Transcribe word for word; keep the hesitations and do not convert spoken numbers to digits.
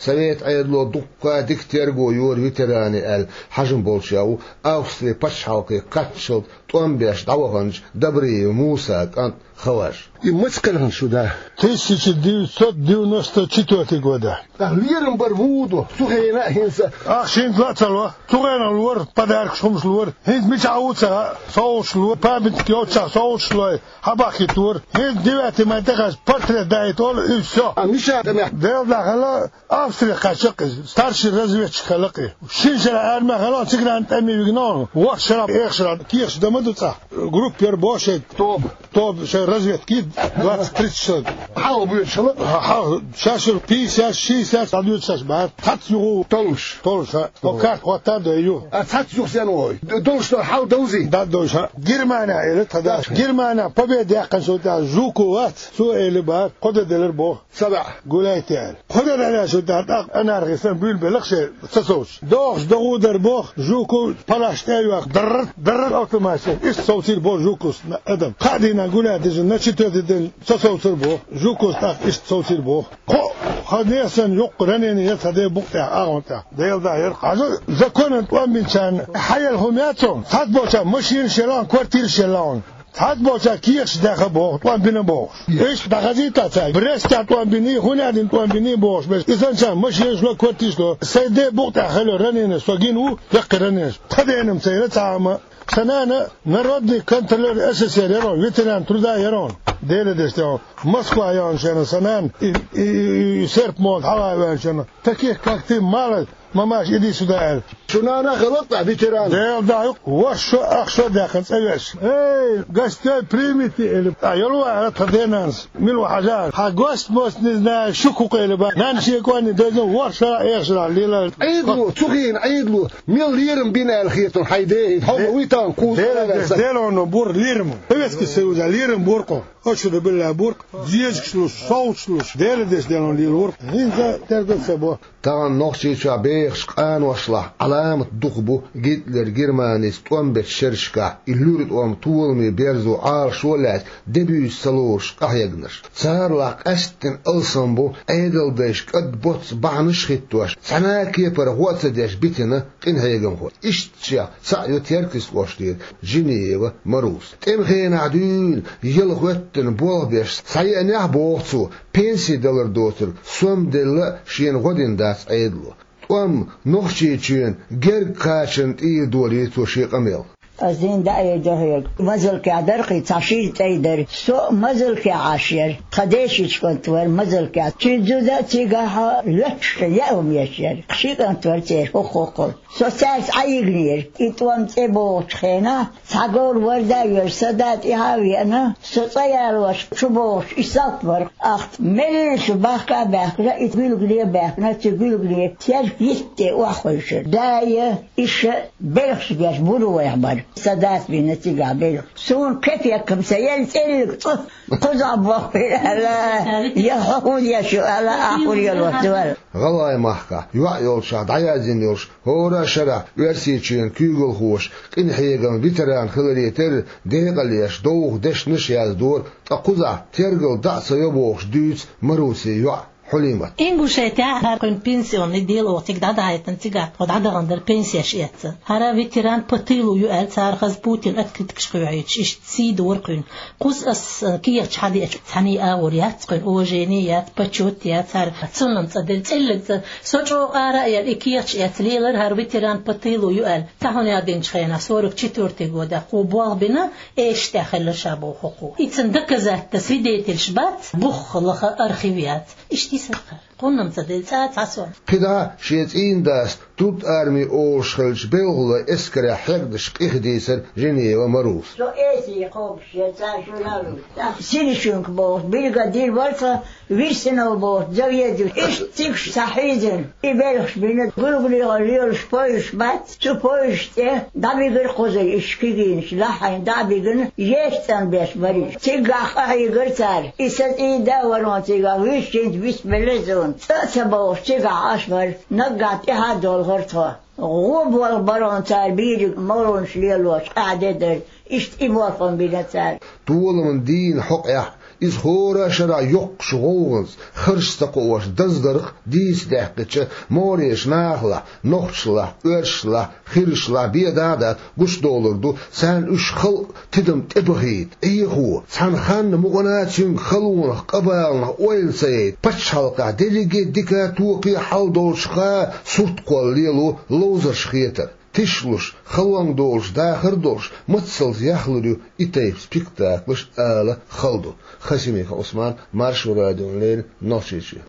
Совет Ӏедало дуккха дика терго йора ветеранийн аьлла хьажам болчех ву Австрин пачхьалкхе кхаччалц тӀом беш дӀаваханчу Добриев Мусан кӀант Хаваж. И маца кхелхина шу да? Тысяча девятьсот девяносто четвёртый года. Ах, лерам бар ву ду, цу хенахь а хӀинца. Ах, шинца ла а ца ло. Цу хенахь лора, подаркаш хӀумаш лора. ХӀинца мичахь ву ца хаьа, совгӀаташ лора, памятник йолччахь совгӀаташ лой, хьабахкийтора. ХӀинца девятый май тӀехьаьжча портрет даийта олу, и всё. А мичахь тӀе мех? Делла хила, Австрия кхаьчна кхин, старший разведчик хила кхин. Шина шарахь армехь хила, цигара тӀаме вигна, ворхӀ шарахь, эха шарахь, кехаш дан ма ду цӀа. Группа яра боху шайн. Тоба. Тоба шайн разведка, двадцать тридцать человек. Хьалха боьдуш хила? Хьалха, шаьш пятьдесят, шестьдесят дӀадоьду шаьш бахара. Цхьацца юха толлуш. Толлуш, а. Хьо карта хӀотта а дой ю. А цхьацца юха сен вой? Долуш ду хьал довзий? Да, довзуш, а. Германия эли тхан да. Германия победа яьккхина шо тӀехь Жуков вац, цо эли бахара, кхо де делира боху. Ца ваьа. Гуляйте аьлла. Кхо де делира шо тӀехь, тӀаккха анархистан буьйлабелла шен ца совцуш. ДогӀуш догӀу дара боху, Жуков палаш тӀе а йоьхна, дарра, дарра автоматчен. Иштта совцийра боху Жуковс адам. Кхаа дийнахь гуляй дижина, на четвёртый день ца совцура боху. Жуковс тӀаккха иштта совцийра боху. Кхо, хьан нехан санна юккъе ранение яра цхьа де букъ тӀехь, агӀон тӀехь. Делла дӀа яра. Хьажа, законан тӀом бинчарна хьаелла хӀума яц хьуна. Цхьацца болчарна машинаш елла хьуна, квартираш елла хьуна. Цхьацца болчарна кехаташ даьхна боху, тӀом бина бохуш. Иштта дӀахазийта цара. Брестехь тӀом биний, хӀунда аьлла дина тӀом биний бохуш. Беш, и санна машинаш ло, квартираш ло. Сайн де букъ тӀехь хилла ранение, со гина ву, яккхий ранение. Тхан дена-м ца яра цхьа а хӀума. Сан нана народный контролёр СССР яра хьуна, ветеран труда яра хьуна. Делан деш тӀе хьуна. Москва яьхна шена сан нана, и, и, и, и серп-молот хьалха а ваьхна шена. Таких, как ты, мало, мамаш, иди сюда, аьлла. Шу нана хилла-кх ветеран? Делла дӀа ю, ворхӀ шо, ах шо даьккхина цӀа веш. Эй, гостей примите, эли. А, йолу вара тхан денанас. Мила ву хьажа? Хьан гость-мость не знаю, шу кху къели ба. Нана шен кӀорни дезна ворхӀ шарахь, эха шарахь лела. Ӏедало, цу хенахь Ӏедало мел лерам бина аьлла хетархьама хьайн ден хӀинца. Хьо ма вуй тахана кхуза Делан, Делан бур лерам. Советский Союза лерам бур кху. Ошуна билла буркъ, дезагаш луш, совцаш луш, Делан деш делон лийла вуркъ, хӀинца тера ца бо. Тахана Нохчийчохь бехачу къаношлахь Ӏаламат дукха бу Гитлер Германис тӀом бечу шерашкахь и луьра тӀом толаме берзо Ӏалашо а лаьцна, де буьйса ца лоруш къахьегнарш. Царалахь къаьсттина алсам бу Ӏедалдайша кӀад боццу бахьанаш а хӀиттош, цхьана а кепара гӀо а ца деш битина къинхьегамхой. Иштта шех цхьаъ ю Теркйистан кӀоштара Джиниева Маруса. ТӀеман хенахь дуьйна яла хӀоьттина болх беш схьаеанехь а, боху цо, пенси далар доцург сом делла а шена гӀо дина дац Ӏедало. ТӀом Нохчийчоьнан герга кхачарна тӀера долийра цо шен къамел. Ас дин даийра дохьерг. Мазалкехь дара кхин цхьа шира цӀе дара. Со а Мазалкехь Ӏаш яра. Тхан дешича кӀант вара Мазалкехь. Цуьнан зуда а цигахь лоьтташ яа хӀума еш яра. Ши кӀант вара церан хӀокху-хӀокхул. Со цаьрца Ӏан йигнера. И тӀом цӀе богӀучу хенахь, цхьа говр варда а йоьлуш, сан да тӀаьхьа а веана, со цӀа ялош, чу богӀуш, и салт бара. Ахта меллаша бахка а баьхкина, и гуьлгане а баьхкина, цу гуьлгане терк йитта тӀе охьахевшира. Да я, иша белхаш беш бур вайх бара. Сан дас бина цигахь белхаш. Суна кепек-м ца елла, цӀиллиг цӀу кхузахь бохбира аьлла, я хьо хӀун еш ю аьлла, ахь хӀун елош ду аьлла. ГӀалгӀай махкахь йоӀ йолчохь дӀаяздина йолуш, хӀора а шарахь Оьрсийчоьнан куьйгалхоша къинхьегаман ветеран хиларе терра декъалеш, довха дешнаш а яздора, ткъа кхузахь тергал дӀа а ца йо бохуш дуьйцу Марусин йоӀа Хьулимата. Ингушетехь хӀара кхуьнан пенсионный дело цига дӀадахьийтина, цигахь тхо дӀадахана дара пенсеш эцна. ХӀара ветеран по тылу ю аьлла, цара хаза Путина открыткаш кхоьхьуьйтуш, иштта сий дора кхуьнан. Кхуза ас, э, кехаташ хьадеача, цхьаьний агӀор яц кхуьнан уважение яц, почёт яц, хӀара цунна-м цӀа дерг, цӀиллиг цӀа. Со чӀогӀа ара а яьлла, и кехаташ эцна, лелара хӀара ветеран по тылу ю аьлла. Цхьа хӀун яздинчу хенахь, сорок четвёртый годехь кхо болх бина, эшаш тӀехь хилла ша боху кхо. И цунна доказательство, свидетельш бац, бух лаха архив яц. Иштта и сакхар. Кхуннам ца делла цӀа а ца сом. КхидӀа шен цӀийнан дас труд армии олуш хиллачу белхалойн эскарехь хьегнаш къиха дийцира Женева Маруса. Со эсий кхобуш яра цара журналист. ТӀаккха Синишенко бохуш, бригадир вара цхьа, Вирсинов бохуш, заведующий. Иштта цигахь схьахьийзина. И белхаш бина, гулгулехула лелаш поездаш бац, цу поездаш тӀе дӀабигира кхузара, иштта кегийнаш лахьийна дӀа а бигина, ешцӀанбеш бара иза. Цигахь къахьийгира цара. И сан цӀийнан да вара хьуна цигахь, вуьшта хӀинца бисбелла суна. ЦӀа а ца бовлуш, цигахь Ӏаш вара, наггахь тӀаьхьа а долхура тхо. ГӀо болх бара хьуна цара, бийриг молханаш лелош, къаьхьа де дара. Иштта и болх хьуна бина цара. Толаман дийнан хьокъехь Иза хӀора шарахь йоккхачу гӀовгӀанца, харш ца кхоош даздарх дийца даьккхича, мореш нахалахь, нохчалахь, оьрсашалахь, хирашалахь бен дада гучудовлар ду, царна уьш халкъ тидам тӀебахийта, Ӏехо, цхьана ханна мукъана цуьнга халонах, къабаланах ойла ца яйта, пачхьалкхехь дерриге а дика а, тоьхна а хьал долчуха сурт кхолла лело ловзарш хетар. Тишлуш, халонга долуш дахар а долуш, мацаллица яхлур ю и тайпа спектаклаш ала хала ду. Хасимиков Ӏусман, Маршо радиона леррина, Нохчийчоь.